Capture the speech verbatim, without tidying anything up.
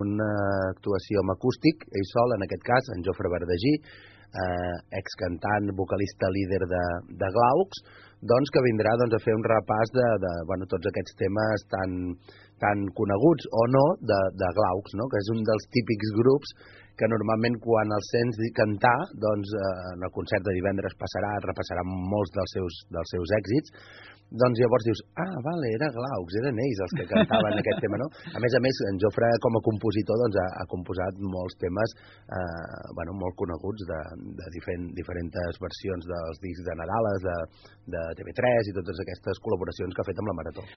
una actuació amb acústic, ell sol, en aquest cas, en Jofre Verdagí, eh, excantant, vocalista líder de, de Glaucs, doncs que vindrà doncs, a fer un repàs de, de bueno, tots aquests temes tan, tan coneguts o no de, de Glaucs, no? Que és un dels típics grups que normalment quan els sents cantar, doncs eh, en el concert de divendres passarà, repassarà molts dels seus, dels seus èxits, doncs llavors dius, ah, vale, era Glaucs, eren ells els que cantaven aquest tema, no? A més a més, en Jofre, com a compositor, doncs, ha, ha composat molts temes eh, bueno, molt coneguts de, de diferent, diferents versions dels discs de Nadales, de, de T V tres i totes aquestes col·laboracions que ha fet amb la Marató.